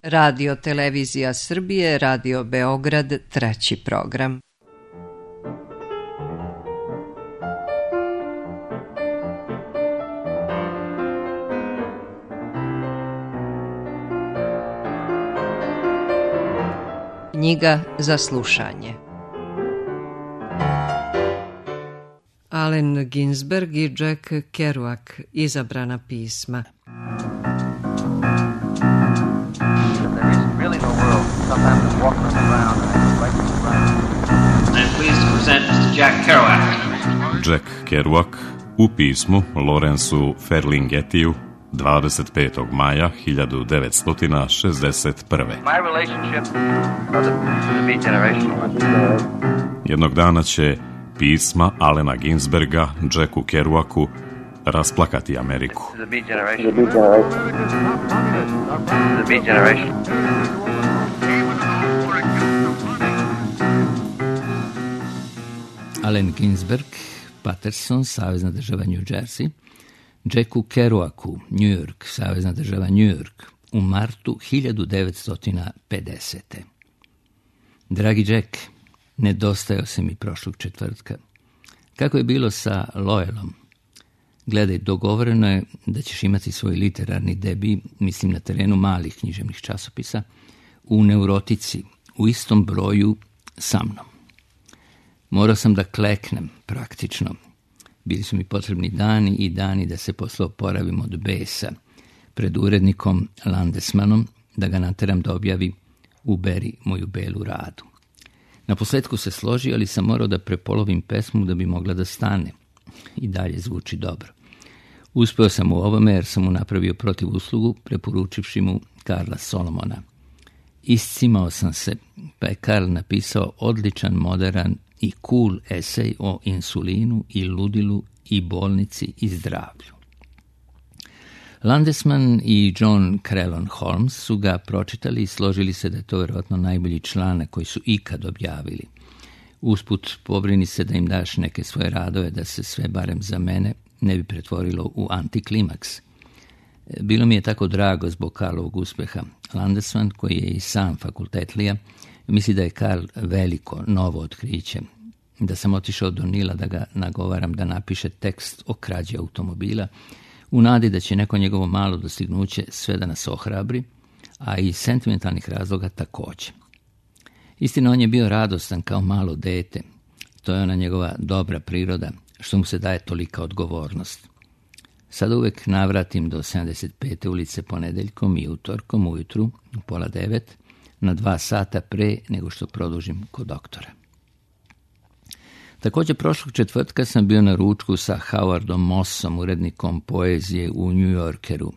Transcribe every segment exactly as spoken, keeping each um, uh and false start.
Radio Televizija Srbije, Radio Beograd, treći program. Knjiga za slušanje. Allen Ginsberg i Jack Kerouac, izabrana pisma. Jack Kerouac u pismu Lawrenceu Ferlinghettiju dvadeset petog maja hiljadu devetsto šezdeset prve. Jednog dana će pisma Allena Ginsberga Jacku Kerouacu rasplakati Ameriku. Allen Ginsberg, Paterson, savezna država New Jersey, Jacku Kerouacu, New York, savezna država New York, u martu hiljadu devetsto pedesete. Dragi Jack, nedostajao se mi prošlog četvrtka. Kako je bilo sa Loyalom? Gledaj, dogovoreno je da ćeš imati svoj literarni debi, mislim na terenu malih književnih časopisa, u Neurotici, u istom broju sa mnom. Morao sam da kleknem, praktično. Bili su mi potrebni dani i dani da se posle oporavim od besa pred urednikom Landesmanom, da ga nateram da objavi Uberi moju belu radu. Na posledku se složi, ali sam morao da prepolovim pesmu da bi mogla da stane. I dalje zvuči dobro. Uspeo sam u ovome jer sam mu napravio protiv uslugu, preporučivši mu Karla Solomona. Iscimao sam se, pa je Karl napisao odličan, moderan i cool esej o insulinu i ludilu i bolnici i zdravlju. Landesman i John Crellon Holmes su ga pročitali i složili se da je to vjerojatno najbolji članak koji su ikad objavili. Usput pobrini se da im daš neke svoje radove, da se sve, barem za mene, ne bi pretvorilo u antiklimaks. Bilo mi je tako drago zbog Karlovog uspeha. Landesman, koji je i sam fakultetlija, misli da je Karl veliko, novo otkriće. Da sam otišao do Nila da ga nagovaram da napiše tekst o krađi automobila, u nadi da će neko njegovo malo dostignuće sve da nas ohrabri, a iz sentimentalnih razloga takođe. Istina, on je bio radostan kao malo dete. To je ona njegova dobra priroda, što mu se daje tolika odgovornost. Sada uvek navratim do sedamdeset pete ulice ponedeljkom i utorkom ujutru, u pola devet, na dva sata pre nego što produžim kod doktora. Također prošlog četvrtka sam bio na ručku sa Howardom Mossom, urednikom poezije u New Yorkeru.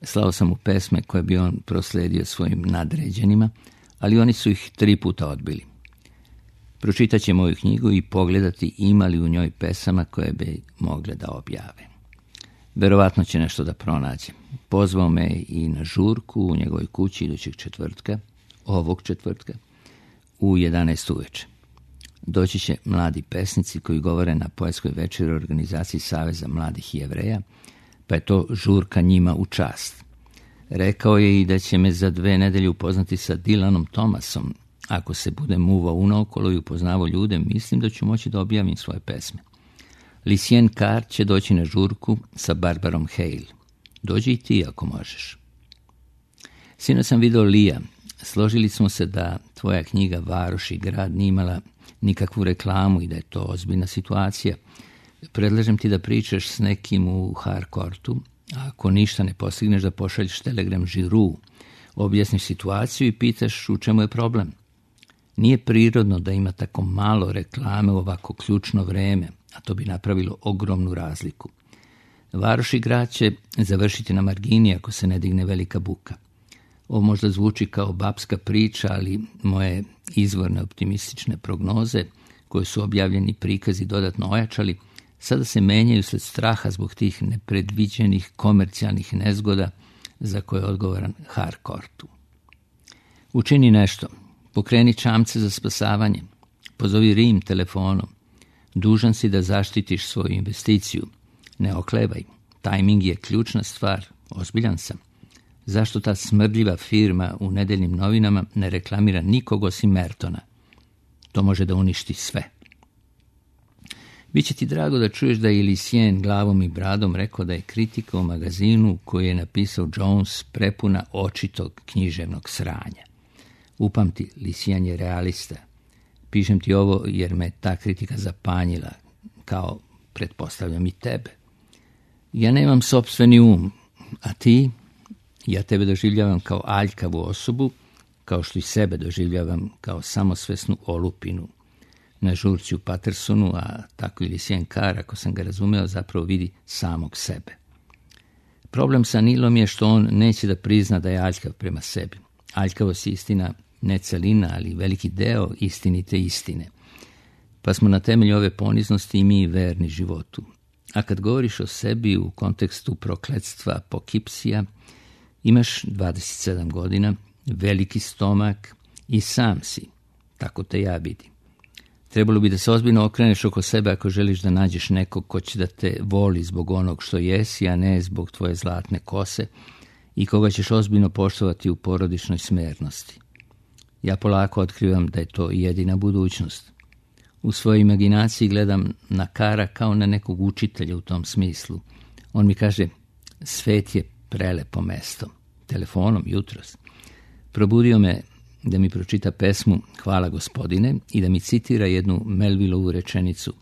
Slao sam mu pesme koje bi on prosledio svojim nadređenima, ali oni su ih tri puta odbili. Pročitat će moju knjigu i pogledati ima li u njoj pesama koje bi mogle da objave. Verovatno će nešto da pronađe. Pozvao me i na žurku u njegovoj kući idućeg četvrtka, ovog četvrtka, u jedanaest uveče. Doći će mladi pesnici koji govore na poetskoj večeri organizaciji Saveza mladih Jevreja, pa je to žurka njima u čast. Rekao je i da će me za dve nedelje upoznati sa Dylanom Thomasom. Ako se budem muvao unaokolo i upoznavao ljude, mislim da ću moći da objavim svoje pesme. Lucien Carr će doći na žurku sa Barbarom Hale. Dođi i ti ako možeš. Sinoć sam video Lija. Složili smo se da tvoja knjiga Varoš i grad nije imala nikakvu reklamu i da je to ozbiljna situacija. Predlažem ti da pričaš s nekim u Harkortu, a ako ništa ne postigneš da pošalješ telegram Žiru, objasniš situaciju i pitaš u čemu je problem. Nije prirodno da ima tako malo reklame u ovako ključno vreme, a to bi napravilo ogromnu razliku. Varoš i grad će završiti na margini ako se ne digne velika buka. Ovo možda zvuči kao babska priča, ali moje izvorne optimistične prognoze, koje su objavljeni prikazi dodatno ojačali, sada se menjaju sled straha zbog tih nepredviđenih komercijalnih nezgoda za koje je odgovoran Harkortu. Učini nešto. Pokreni čamce za spasavanje. Pozovi Rim telefonom. Dužan si da zaštitiš svoju investiciju. Ne oklevaj. Tajming je ključna stvar. Ozbiljan sam. Zašto ta smrdljiva firma u nedeljnim novinama ne reklamira nikog osim Mertona? To može da uništi sve. Biće ti drago da čuješ da je Lucien glavom i bradom rekao da je kritika u magazinu koji je napisao Jones prepuna očitog književnog sranja. Upamti, Lucien je realista. Pišem ti ovo jer me ta kritika zapanjila, kao pretpostavljam i tebe. Ja nemam sopstveni um, a ti? Ja tebe doživljavam kao aljkavu osobu, kao što i sebe doživljavam kao samosvesnu olupinu. Na žurci u Patersonu, a tako i Lucien Carr, ako sam ga razumeo, zapravo vidi samog sebe. Problem sa Nilom je što on neće da prizna da je aljkav prema sebi. Aljkavost je istina ne celina, ali veliki deo istinite istine. Pa smo na temelju ove poniznosti i mi verni životu. A kad govoriš o sebi u kontekstu prokletstva Pokipsija, imaš dvadeset sedam godina, veliki stomak i sam si. Tako te ja vidim. Trebalo bi da se ozbiljno okreneš oko sebe ako želiš da nađeš nekog ko će da te voli zbog onog što jesi, a ne zbog tvoje zlatne kose i koga ćeš ozbiljno poštovati u porodičnoj smernosti. Ja polako otkrivam da je to jedina budućnost. U svojoj imaginaciji gledam na Kara kao na nekog učitelja u tom smislu. On mi kaže, svet je prelepo mesto. Telefonom jutros. Probudio me da mi pročita pesmu Hvala gospodine i da mi citira jednu Melvillovu rečenicu.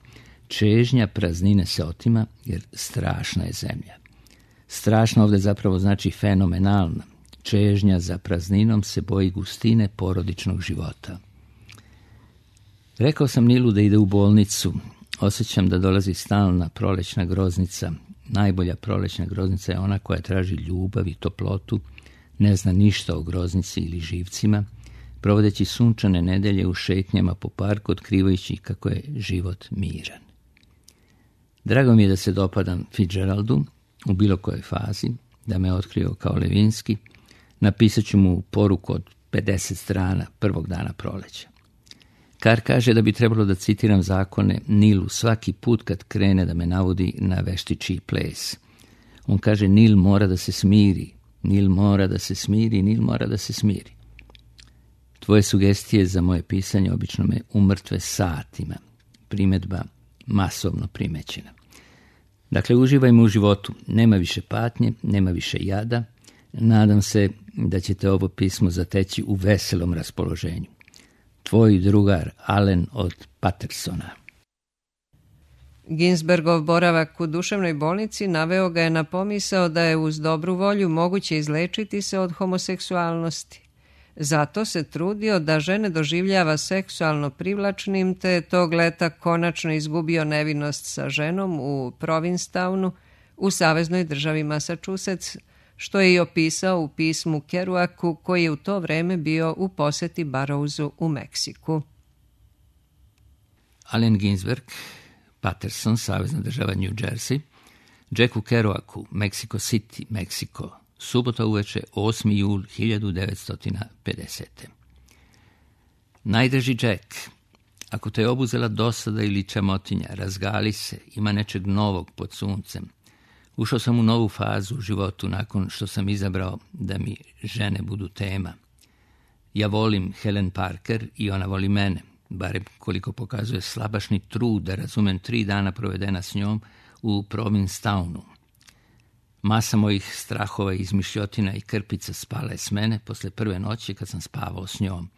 Čežnja praznine se otima jer strašna je zemlja. Strašna ovdje zapravo znači fenomenalna. Čežnja za prazninom se boji gustine porodičnog života. Rekao sam Nilu da ide u bolnicu. Osjećam da dolazi stalna prolećna groznica. Najbolja prolećna groznica je ona koja traži ljubav i toplotu, ne zna ništa o groznici ili živcima, provodeći sunčane nedelje u šetnjama po parku, otkrivajući kako je život miran. Drago mi je da se dopadam Fitzgeraldu u bilo kojoj fazi, da me otkrio kao Levinski. Napisat ću mu poruku od pedeset strana prvog dana proleća. Carr kaže da bi trebalo da citiram zakone Nilu svaki put kad krene da me navodi na veštičiji ples. On kaže Nil mora da se smiri, Nil mora da se smiri, Nil mora da se smiri. Tvoje sugestije za moje pisanje obično me umrtve satima. Primedba masovno primećena. Dakle, uživajmo u životu. Nema više patnje, nema više jada. Nadam se da ćete ovo pismo zateći u veselom raspoloženju. Tvoj drugar Allen od Patersona. Ginsbergov boravak u duševnoj bolnici naveo ga je na pomisao da je uz dobru volju moguće izlečiti se od homoseksualnosti. Zato se trudio da žene doživljava seksualno privlačnim, te je tog leta konačno izgubio nevinost sa ženom u Provincetownu u saveznoj državi Massachusetts, što je i opisao u pismu Kerouacu koji je u to vreme bio u poseti Barrowsu u Meksiku. Allen Ginsberg, Paterson, savezna država New Jersey, Jacku Kerouacu, Mexico City, Meksiko, subota uveče osmi jul hiljadu devetsto pedesete. Najdrži Jack, ako te je obuzela dosada ili čamotinja, razgali se, ima nečeg novog pod suncem. Ušao sam u novu fazu u životu nakon što sam izabrao da mi žene budu tema. Ja volim Helen Parker i ona voli mene, barem koliko pokazuje slabašni trud da razumem tri dana provedena s njom u Provincetownu. Masa mojih strahova, izmišljotina i krpica spala je s mene posle prve noći kad sam spavao s njom.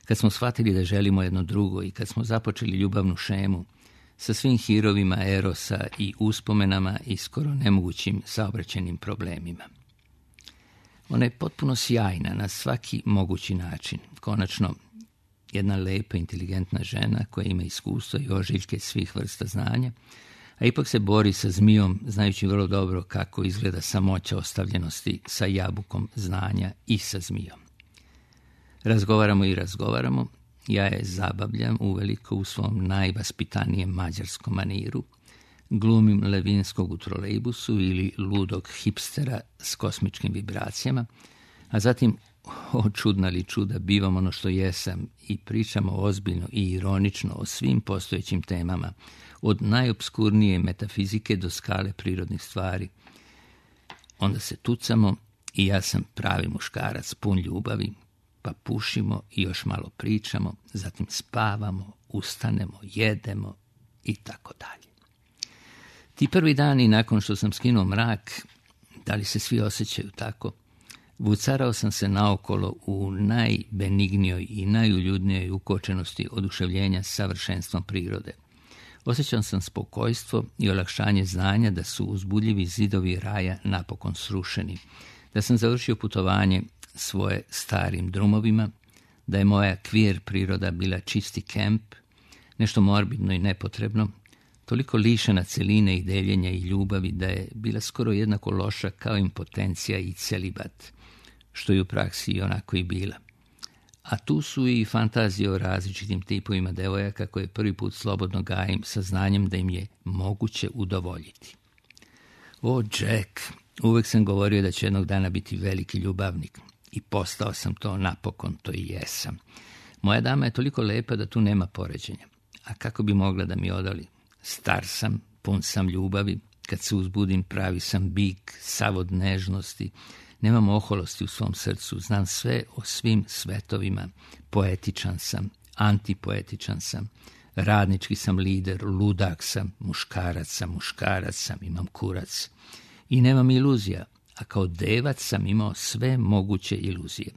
Kad smo shvatili da želimo jedno drugo i kad smo započeli ljubavnu šemu sa svim hirovima erosa i uspomenama i skoro nemogućim saobraćajnim problemima. Ona je potpuno sjajna na svaki mogući način. Konačno, jedna lepa, inteligentna žena koja ima iskustvo i ožiljke svih vrsta znanja, a ipak se bori sa zmijom, znajući vrlo dobro kako izgleda samoća ostavljenosti sa jabukom znanja i sa zmijom. Razgovaramo i razgovaramo, ja je zabavljam uveliko u svom najvaspitanijem mađarskom maniru, glumim Levinskog u trolejbusu ili ludog hipstera s kosmičkim vibracijama, a zatim, o čudna li čuda, bivam ono što jesam i pričamo ozbiljno i ironično o svim postojećim temama, od najobskurnije metafizike do skale prirodnih stvari. Onda se tucamo I ja sam pravi muškarac, pun ljubavi, pa pušimo i još malo pričamo, zatim spavamo, ustanemo, jedemo i tako dalje. Ti prvi dani nakon što sam skinuo mrak, da li se svi osjećaju tako, vucarao sam se naokolo u najbenignijoj i najuljudnijoj ukočenosti oduševljenja savršenstvom prirode. Osjećao sam spokojstvo i olakšanje znanja da su uzbudljivi zidovi raja napokon srušeni, da sam završio putovanje svoje starim drumovima, da je moja kvir priroda bila čisti kemp, nešto morbidno i nepotrebno, toliko lišena celine i deljenja i ljubavi da je bila skoro jednako loša kao impotencija i celibat, što je u praksi i onako i bila. A tu su i fantazije o različitim tipovima devojaka koje prvi put slobodno gajim sa znanjem da im je moguće udovoljiti. O, Jack, uvek sam govorio da će jednog dana biti veliki ljubavnik i postao sam to napokon, to i jesam. Moja dama je toliko lepa da tu nema poređenja. A kako bi mogla da mi odoli? Star sam, pun sam ljubavi, kad se uzbudim pravi sam bik, sav od nežnosti, nemam oholosti u svom srcu, znam sve o svim svetovima, poetičan sam, antipoetičan sam, radnički sam lider, ludak sam, muškarac sam, muškarac sam, imam kurac. I nemam iluzija, a kao devac sam imao sve moguće iluzije.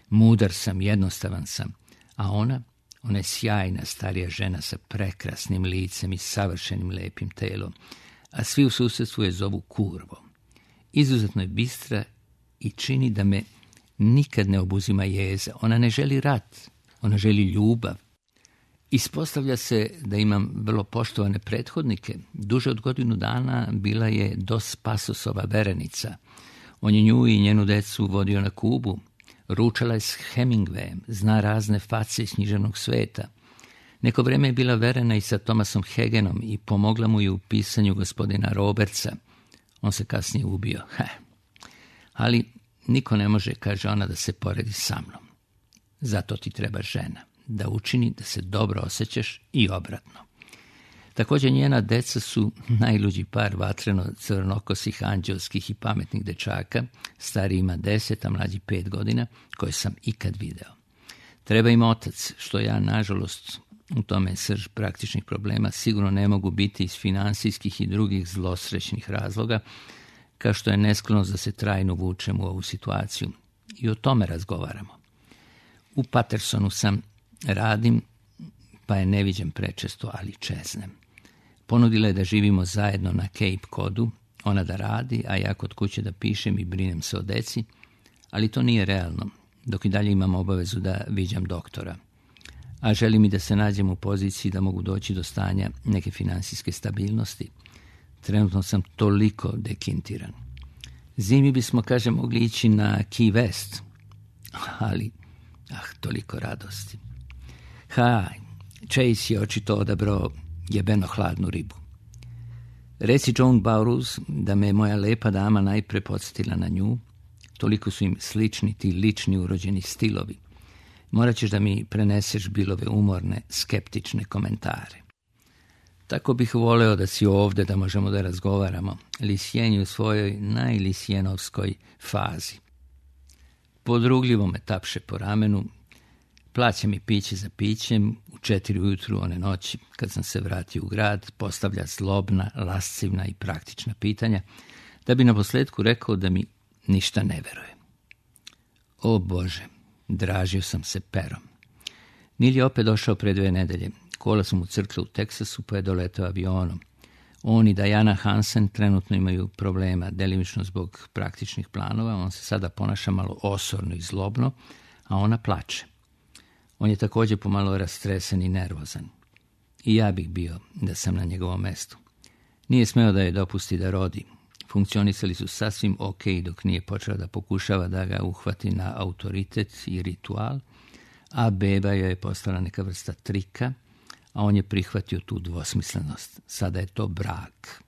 Mudar sam, jednostavan sam, a ona, ona je sjajna starija žena sa prekrasnim licem i savršenim lepim telom, a svi u susjedstvu je zovu kurvom. Izuzetno je bistra i čini da me nikad ne obuzima jeza. Ona ne želi rat, ona želi ljubav. Ispostavlja se da imam vrlo poštovane prethodnike. Duže od godinu dana bila je Dos Pasosova verenica. On je nju i njenu decu vodio na Kubu. Ručala je s Hemingwayem, zna razne face iz književnog sveta. Neko vreme je bila verena i sa Thomasom Hagenom i pomogla mu je u pisanju gospodina Robertsa. On se kasnije ubio. Heh. Ali niko ne može, kaže ona, da se poredi sa mnom. Zato ti treba žena, da učini da se dobro osjećaš i obratno. Također njena deca su najluđi par vatreno crnokosih, anđelskih i pametnih dečaka, stariji ima deset, a mlađi pet godina, koje sam ikad video. Treba im otac, što ja, nažalost, u tome je srž praktičnih problema, sigurno ne mogu biti iz finansijskih i drugih zlosrećnih razloga, kao što je nesklonost da se trajno vučem u ovu situaciju. I o tome razgovaramo. U Patersonu sam, radim, pa je ne viđem prečesto, ali čeznem. Ponudila je da živimo zajedno na Cape Codu, ona da radi, a ja kod kuće da pišem i brinem se o deci, ali to nije realno, dok i dalje imam obavezu da viđam doktora. A želim i da se nađem u poziciji da mogu doći do stanja neke finansijske stabilnosti. Trenutno sam toliko dekintiran. Zimi bismo, kaže, mogli ići na Key West, ali, ah, toliko radosti. Ha, Chase je očito odabrao jebeno hladnu ribu. Reci Joan Burroughs da me moja lepa dama najpre podsjetila na nju, toliko su im slični ti lični urođeni stilovi. Morat ćeš da mi preneseš Billove umorne, skeptične komentare. Tako bih voleo da si ovde, da možemo da razgovaramo. Lisjen je u svojoj najlisjenovskoj fazi. Podrugljivo me tapše po ramenu, plaća mi piće za pićem, u četiri ujutru one noći, kad sam se vratio u grad, postavlja zlobna, lascivna i praktična pitanja, da bi na posledku rekao da mi ništa ne veruje. O Bože, dražio sam se perom. Nil je opet došao pre dve nedelje. Kola su mu crkle u Teksasu, pa je doletao avionom. On i Diana Hansen trenutno imaju problema, delimično zbog praktičnih planova. On se sada ponaša malo osorno i zlobno, a ona plače. On je također pomalo rastresen i nervozan. I ja bih bio da sam na njegovom mestu. Nije smeo da je dopusti da rodi. Funkcionisali su sasvim ok dok nije počela da pokušava da ga uhvati na autoritet i ritual, a beba joj je postala neka vrsta trika, a on je prihvatio tu dvosmislenost. Sada je to brak.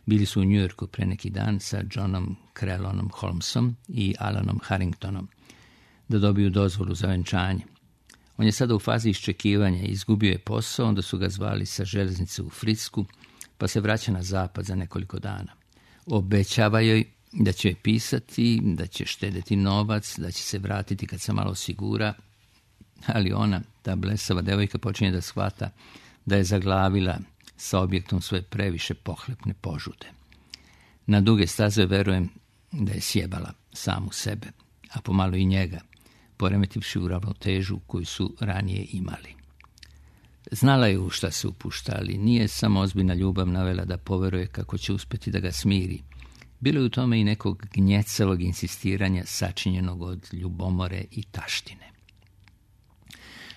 Bili su u Njujorku pre neki dan sa Johnom Crelonom Holmesom i Alanom Harringtonom da dobiju dozvolu za venčanje. On je sada u fazi iščekivanja, izgubio je posao, onda su ga zvali sa železnice u Fricku, pa se vraća na zapad za nekoliko dana. Obećava joj da će pisati, da će štedeti novac, da će se vratiti kad se malo osigura, ali ona, ta blesava devojka, počinje da shvata da je zaglavila sa objektom svoje previše pohlepne požude. Na duge staze verujem da je sjebala samu sebe, a pomalo i njega, poremetivši u ravnotežu koju su ranije imali. Znala je u šta se upušta, ali nije samo ozbiljna ljubav navela da poveruje kako će uspjeti da ga smiri. Bilo je u tome i nekog gnjecelog insistiranja sačinjenog od ljubomore i taštine.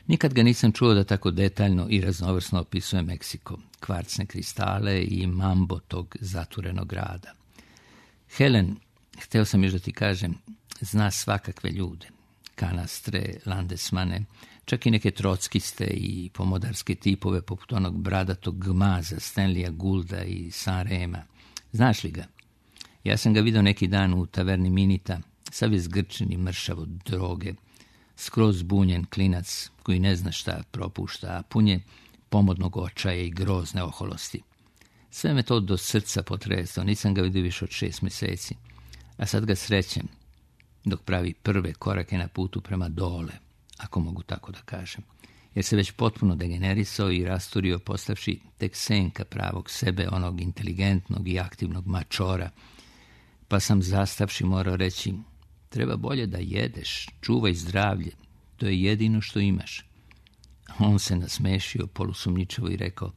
Nikad ga nisam čuo da tako detaljno i raznovrsno opisuje Meksiko, kvarcne kristale i mambo tog zaturenog grada. Helen, hteo sam još da ti kažem, zna svakakve ljude. Kanastre, landesmane, čak i neke trockiste i pomodarske tipove poput onog bradatog gmaza Stanleya Goulda i Sanrema. Znaš li ga? Ja sam ga vidio neki dan u taverni Minita, sav je zgrčen i mršav od droge, skroz zbunjen klinac koji ne zna šta propušta, a pun je pomodnog očaja i grozne oholosti. Sve me to do srca potreslo, nisam ga vidio više od šest mjeseci, a sad ga srećem dok pravi prve korake na putu prema dole, ako mogu tako da kažem, jer se već potpuno degenerisao i rasturio postavši tek senka pravog sebe, onog inteligentnog i aktivnog mačora, pa sam zastavši morao reći: treba bolje da jedeš, čuvaj zdravlje, to je jedino što imaš. On se nasmešio polusumnjičavo i rekao: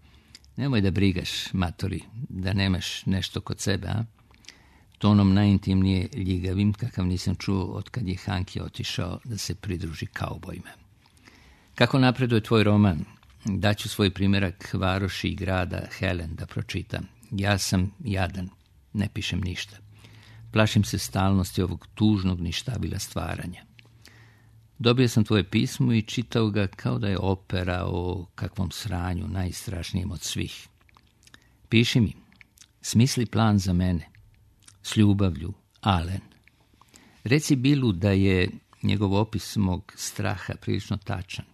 nemoj da brigaš, matori, da nemaš nešto kod sebe, a? Tonom najintimnije ljigavim, kakav nisam čuo od kad je Hanki otišao da se pridruži kaubojima. Kako napreduje tvoj roman? Daću svoj primjerak varoši i grada Helen da pročitam. Ja sam jadan, ne pišem ništa. Plašim se stalnosti ovog tužnog ništavila stvaranja. Dobio sam tvoje pismo i čitao ga kao da je opera o kakvom sranju, najstrašnijem od svih. Piši mi, smisli plan za mene. S ljubavlju, Alen. Reci Billu da je njegov opis mog straha prilično tačan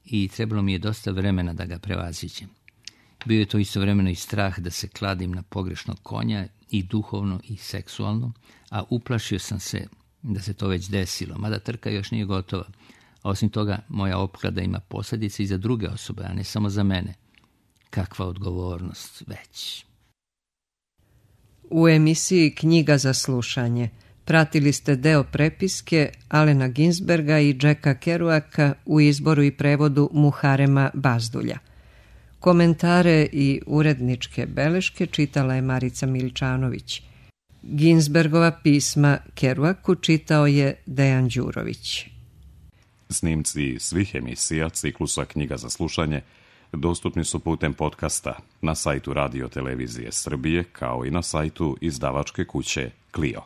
i trebalo mi je dosta vremena da ga prevaziđem. Bio je to istovremeno i strah da se kladim na pogrešnog konja i duhovno i seksualno, a uplašio sam se da se to već desilo, mada trka još nije gotova. A osim toga, moja opklada ima posljedice i za druge osobe, a ne samo za mene. Kakva odgovornost već. U emisiji Knjiga za slušanje pratili ste deo prepiske Alena Ginsberga i Jacka Kerouaka u izboru i prevodu Muharema Bazdulja. Komentare i uredničke beleške čitala je Marica Miličanović. Ginsbergova pisma Kerouaku čitao je Dejan Đurović. Snimci svih emisija ciklusa Knjiga za slušanje dostupni su putem podcasta na sajtu Radio Televizije Srbije, kao i na sajtu izdavačke kuće Clio.